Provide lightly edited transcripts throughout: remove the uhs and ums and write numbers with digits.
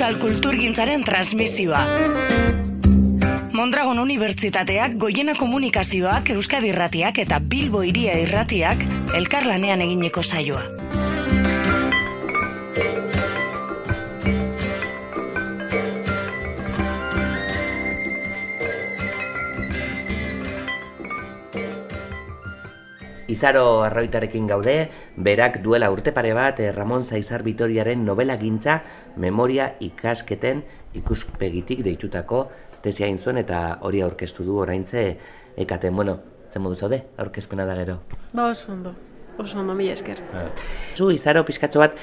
euskal kulturgintzaren transmisioa. Mondragon Unibertsitateak, Goiena Komunikazioak, Euskadi Irratiak eta Bilbo Hiria Irratiak elkarlanean egineko saioa. Izaro Arroitarekin gaude, berak duela urte pare bat Ramon Saizar Vitoriaren novela gintza memoria ikasketen ikuspegitik deitutako tesia egin zuen eta hori aurkeztu du oraintze ekaten. Bueno, zen modu zaude, aurkezpena da gero? Ba, oso ondo, mila esker. Zu, Izaro, pizkatxo bat,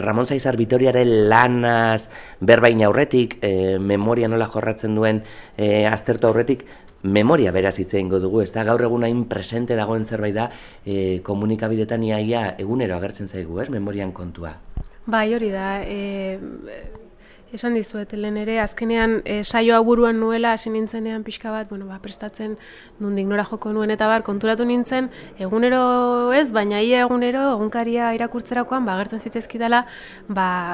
Ramon Saizar Vitoriaren lanaz berbain aurretik, memoria nola jorratzen duen aztertu aurretik, memoria beraz hitz egingo dugu, ez da? Gaur egun hain presente dagoen zerbait da, komunikabidetan iaia egunero agertzen zaigu, ez? Memorian kontua. Bai, hori da. Esan dizuet, lehen ere, azkenean saioa buruan nuela, hasi nintzenean pixka bat, prestatzen nondik nora joko nuen eta konturatu nintzen, egunero ez, baina ia egunero, egunkaria irakurtzerakoan, agertzen zitzaizkidala,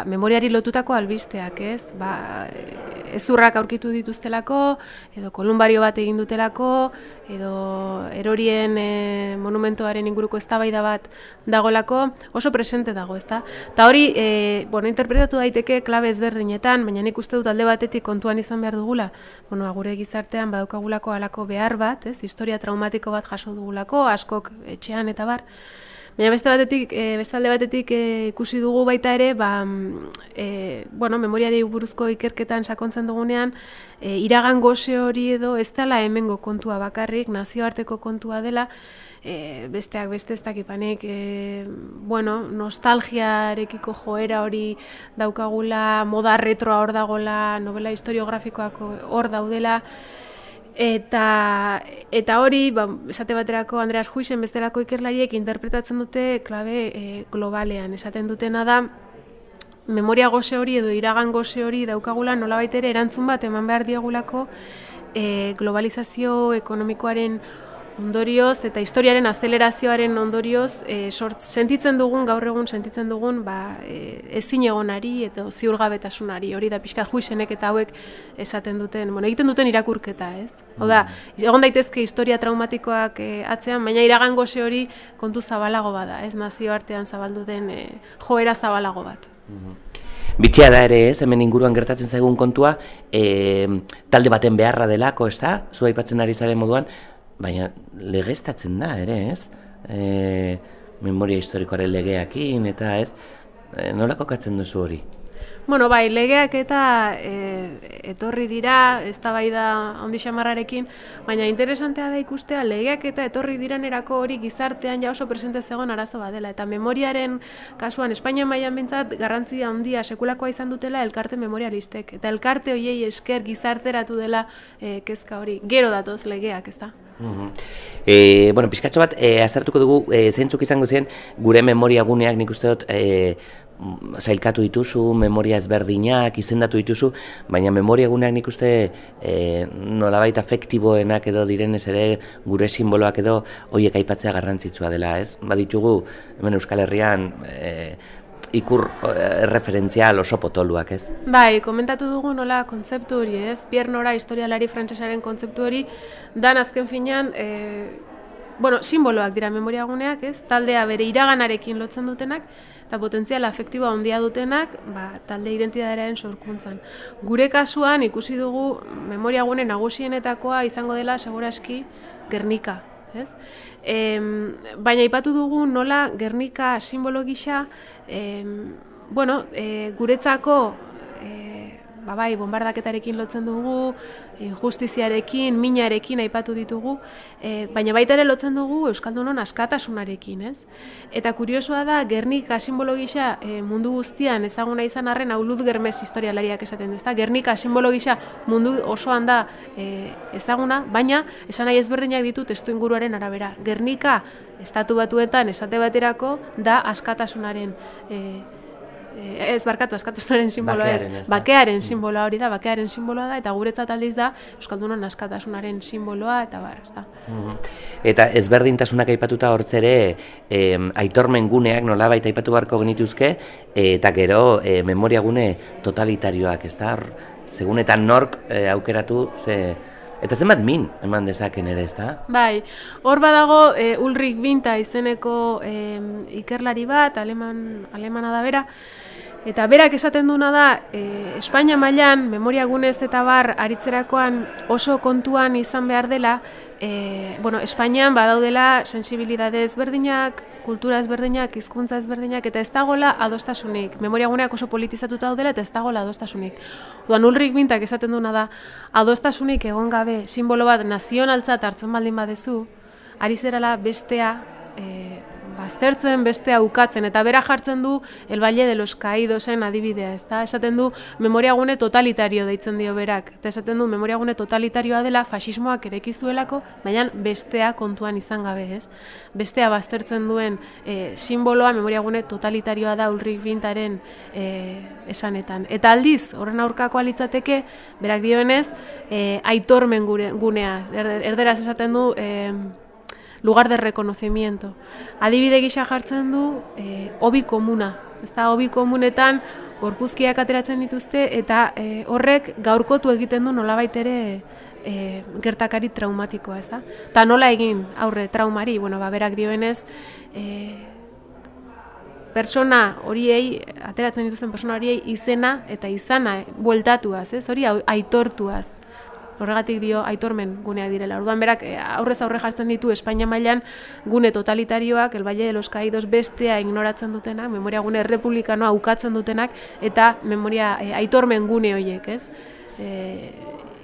memoriari lotutako albisteak, ez? Ezurrak aurkitu dituztelako, edo kolumbario bat egin dutelako, edo erorien monumentoaren inguruko eztabaida bat dagolako, oso presente dago, ezta? Ta hori, interpretatu daiteke klabe ezberdinetan, baina nik uste dut alde batetik kontuan izan behar dugula, gure gizartean badaukagulako halako behar bat, ez? Historia traumatiko bat jaso dugulako, askok etxean eta bar. Baina beste alde batetik ikusi dugu baita ere, memoriari buruzko ikerketan sakontzen dugunean, iragan gose hori edo ez dela hemengo kontua bakarrik, nazioarteko kontua dela, besteak beste ez dakipanek, nostalgiarekiko joera hori daukagula, moda retroa hor dagola, novela historiografikoak hor daudela, eta hori, esate baterako Andreas Huisen bestelako ikerlariek interpretatzen dute klabe globalean. Esaten dutena da, memoria gose hori edo iragan gose hori daukagula nolabait ere erantzun bat eman behar diagulako globalizazio ekonomikoaren ondorioz eta historiaren azelerazioaren ondorioz sentitzen dugun, gaur egun sentitzen dugun ezin egonari eta ziurgabetasunari, hori da pixka Huisenek eta hauek esaten duten, egiten duten irakurketa, ez? Hau da, egon daitezke historia traumatikoak atzean, baina iragan gose hori kontu zabalago bada, ez? Nazioartean zabaldu den joera zabalago bat. Bitxia da ere, ez? Hemen inguruan gertatzen zaigun kontua, talde baten beharra delako, ez da? Zu aipatzen ari zaren moduan, baina legeztatzen da ere, ez? Memoria historikoaren legeakin eta ez? Nola kokatzen duzu hori? Legeak eta etorri dira, eztabaida handi xamarrarekin, baina interesantea da ikustea legeak eta etorri direnerako hori gizartean ja oso presente zegoen arazo badela. Eta memoriaren kasuan, Espainia mailan behintzat garrantzia handia sekulakoa izan dutela elkarte memorialistek. Eta elkarte horiei esker gizarteratu dela kezka hori. Gero datoz legeak, ez da? Pizkatxo bat, aztertuko dugu, zeintzuk izango ziren gure memoria guneak nik uste dut zailkatu dituzu, memoria ezberdinak, izendatu dituzu, baina memoria guneak nik uste nolabait afektiboenak edo direnez ere gure simboloak edo horiek aipatzea garrantzitsua dela, ez? Baditugu, hemen Euskal Herrian ikur referentzial oso potoluak, ez? Bai, komentatu dugu nola kontzeptu hori, ez? Pierre Nora historialari frantsesaren kontzeptu hori, dan azken finean, simboloak dira memoria guneak, ez? Taldea bere iraganarekin lotzen dutenak, eta potentzial afektiboa handia dutenak, talde identitatearen sorkuntzan. Gure kasuan ikusi dugu memoria gune nagusienetakoa izango dela segurazki Gernika, ez? Baina aipatu dugu nola Gernika simbolo gisa, guretzako bombardaketarekin lotzen dugu, injustiziarekin, minarekin aipatu ditugu, baina baita ere lotzen dugu Euskaldunon askatasunarekin, ez? Eta kuriosoa da, Gernika simbolo gisa mundu guztian ezaguna izan arren Aulud Germez historialariak esaten, ezta? Gernika simbolo gisa mundu osoan da ezaguna, baina esan nahi ezberdinak ditu testuinguruaren arabera. Gernika Estatu Batuetan esate baterako da askatasunaren ez barkatu, askatasunaren simboloa ez, bakearen simboloa hori da, bakearen simboloa da, eta guretzat aldiz da Euskaldunon askatasunaren simboloa, eta bar, ez da. Eta ezberdintasunak aipatuta hortzere, aitormen guneak nolabait aipatu beharko genituzke, eta gero memoria gune totalitarioak, ez da? Segun eta nork aukeratu, eta zenbat min eman dezaken ere, ez da? Bai, hor badago Ulrich Winta izeneko ikerlari bat, alemana da bera, eta berak esaten duna da, Espainia mailan memoria gunez eta bar aritzerakoan oso kontuan izan behar dela, Espainian badaudela sensibilidade ezberdinak, kultura ezberdinak, hizkuntza ezberdinak, eta ez dagoela adostasunik. Memoria guneak oso politizatuta daudela eta ez dagoela adostasunik. Ulrich Wintak esaten duna da, adostasunik egon gabe simbolo bat nazionaltzat hartzen baldin badezu, ari zerala bestea baztertzen, bestea ukatzen, eta bera jartzen du El Valle de los Caídosen adibidea, ezta? Esaten du memoria gune totalitario deitzen dio berak, eta esaten du memoria gune totalitarioa dela fasismoak erekizuelako, baina bestea kontuan izan gabe, ez? Bestea baztertzen duen simboloa memoria gune totalitarioa da Ulrich Wintaren esanetan. Eta aldiz, horren aurkakoa litzateke, berak dioenez, aitormen gunea, erderaz esaten du lugar de reconocimiento. Adibide gisa jartzen du hobi komuna. Ez da, hobi komunetan gorpuzkiak ateratzen dituzte eta horrek gaurkotu egiten du nolabait ere gertakari traumatikoa, ez da? Ta nola egin aurre traumari, berak dioenez, pertsona horiei, ateratzen dituzten pertsona horiei izena eta izana bueltatuaz, ez? Hori aitortuaz. Horregatik dio aitormen guneak direla. Orduan berak aurrez aurre jartzen ditu Espainia mailan gune totalitarioak, El Valle de los Caídos bestea ignoratzen dutenak, memoria gune republikanoa ukatzen dutenak, eta memoria aitormen gune horiek, ez?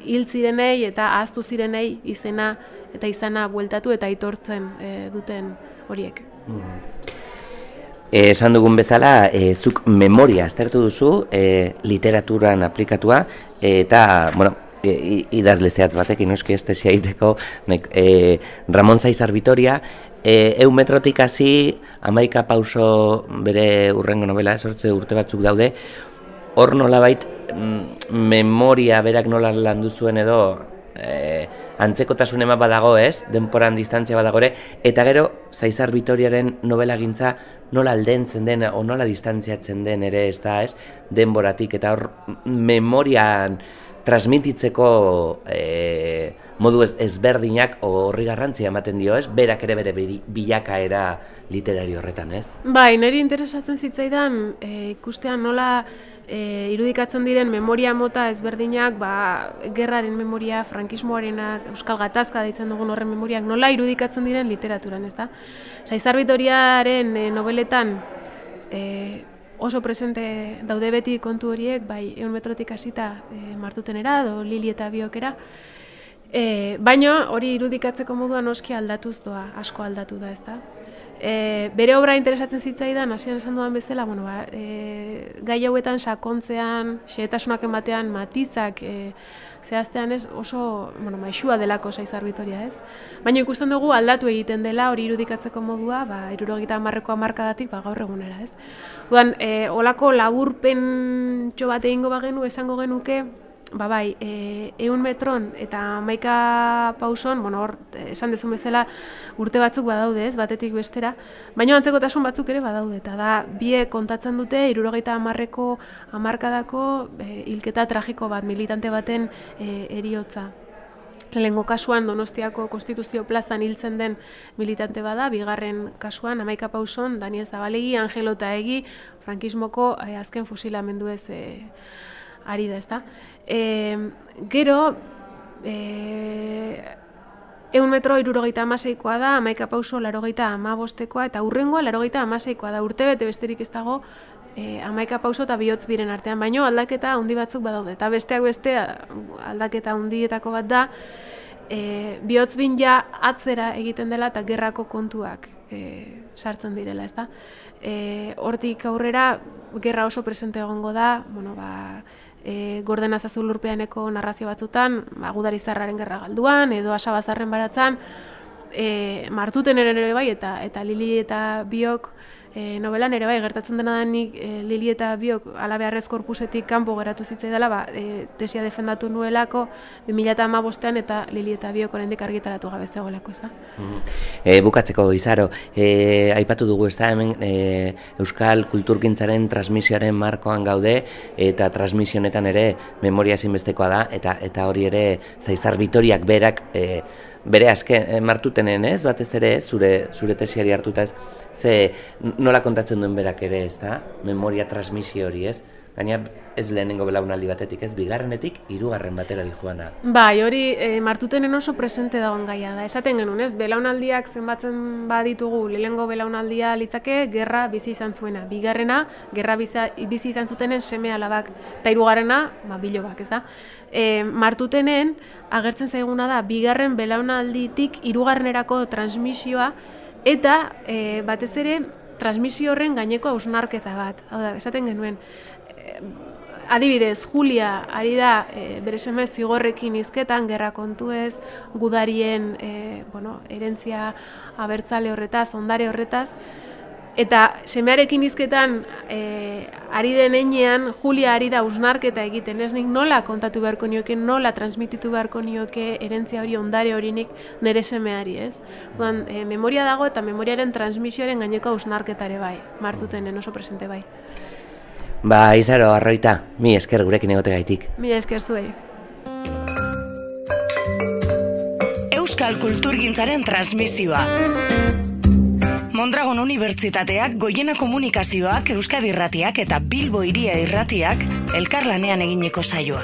Hil zirenei eta ahaztu zirenei izena eta izana bueltatu eta aitortzen duten horiek. Esan dugun bezala, zuk memoria aztertu duzu, literaturan aplikatua, eta, idazle zehatz batekin, noski estesia egiteko, Ramon Zaizar Vitoria, 100 metrotik hasi 11 pauso bere hurrengo novela, sortze urte batzuk daude, hor nolabait memoria berak nola landu zuen edo antzekotasun ema badago, ez? Denporan distantzia badago ere, eta gero Zaizar Vitoriaren novelagintza nola aldentzen den o nola distantziatzen den ere, ez da, ez? Denboratik, eta hor memorian transmititzeko modu ezberdinak horri garrantzia ematen dio, ez? Berak ere bere bilakaera literario horretan, ez? Bai, niri interesatzen zitzaidan ikustean nola irudikatzen diren memoria mota ezberdinak, gerraren memoria, frankismoarenak, Euskal Gatazka deitzen dugun horren memoriak, nola irudikatzen diren literaturan, ez da? Zaizar Vitoriaren nobeletan oso presente daude beti kontu horiek, bai 100 metrotik hasita Martutenera edo Lili eta Biokera, baina hori irudikatzeko modua noski aldatuz doa, asko aldatu da, ezta? Bere obra interesatzen zitzaidan, hasieran esan dudan bezala, gai hauetan sakontzean, xehetasunak ematean, matizak zehaztean ez oso maixua delako Zaizar Vitoria, ez? Baina ikusten dugu aldatu egiten dela hori irudikatzeko modua, 70ko hamarkadatik gaur egunera, ez? Orduan, olako laburpentxo bat egingo bagenu esango genuke, bai, 100 metron eta 11 pauson, hor, esan dezun bezala urte batzuk badaude, ez, batetik bestera, baina antzekotasun batzuk ere badaude, eta da, biek kontatzen dute 70ko hamarkadako hilketa tragiko bat, militante baten heriotza. Lehengo kasuan Donostiako Konstituzio plazan hiltzen den militante bada, bigarren kasuan 11 pauson, Daniel Zabalegi, Angelo Taegi, frankismoko azken fusilamenduez ari da, ezta? Gero, 100 metro 76koa da, 11 pauso 85koa, eta hurrengoa 86koa da, urtebete besterik ez dago 11 pauso eta bihotz biren artean, baino aldaketa handi batzuk badaude, eta besteak beste aldaketa handietako bat da, bihotz bin ja atzera egiten dela eta gerrako kontuak sartzen direla, ezta? Hortik aurrera, gerra oso presente egongo da, Gordena Zazulurpeaneko narrazio batzutan, Gudarizarraren gerra galduan, edo Asabazarren baratzan, Martuten ere bai, eta Lili eta Biok novelan ere bai, gertatzen dena da nik Lili eta biok alabeharrez korpusetik kanpo geratu zitzaidala, tesia defendatu nuelako 2015ean eta Lili eta biok oraindik argitaratu gabe zegoelako, ez da? Bukatzeko, Izaro, aipatu dugu, ez da, hemen Euskal Kulturgintzaren transmisioaren markoan gaude, eta transmisionetan ere memoria ezinbestekoa da, eta hori ere Zaizar Bitoriak berak bere azken martutenen, ez? Batez ere, zure tesiari hartuta, ez? Ze nola kontatzen duen berak ere, ez da? Memoria transmisio hori, ez? Gaina ez lehenengo belaunaldi batetik, ez? Bigarrenetik, 3. batera dijoana. Bai, hori martutenen oso presente dagoen gaia da. Esaten genuen, ez? Belaunaldiak zenbatzen baditugu, lehenengo belaunaldia litzake gerra bizi izan zuena. Bigarrena, gerra bizi izan zutenen seme alabak. Eta 3. Bilobak, ez da? Martutenen agertzen zaiguna da, bigarren belaunalditik 3. transmisioa, eta batez ere transmisio horren gaineko hausnarketa bat. Hau da, esaten genuen, adibidez, Julia ari da bere seme zigorrekin hizketan, gerra kontuez, gudarien herentzia abertzale horretaz, ondare horretaz, eta semearekin hizketan ari den heinean, Julia ari da hausnarketa egiten, ez nik nola kontatu beharko nioke, nola transmititu beharko nioke herentzia hori, ondare horinik nire semeari, ez? Memoria dago eta memoriaren transmisioaren gaineko hausnarketare bai, martutenen oso presente bai. Izaro, Arroita, mi esker gurekin egotegaitik. Mi esker zuei. Euskal Kulturgintzaren transmisioa. Mondragon Unibertsitateak, Goiena Komunikazioak, Euskadi Irratiak eta Bilbo Hiria Irratiak elkarlanean eginiko saioa.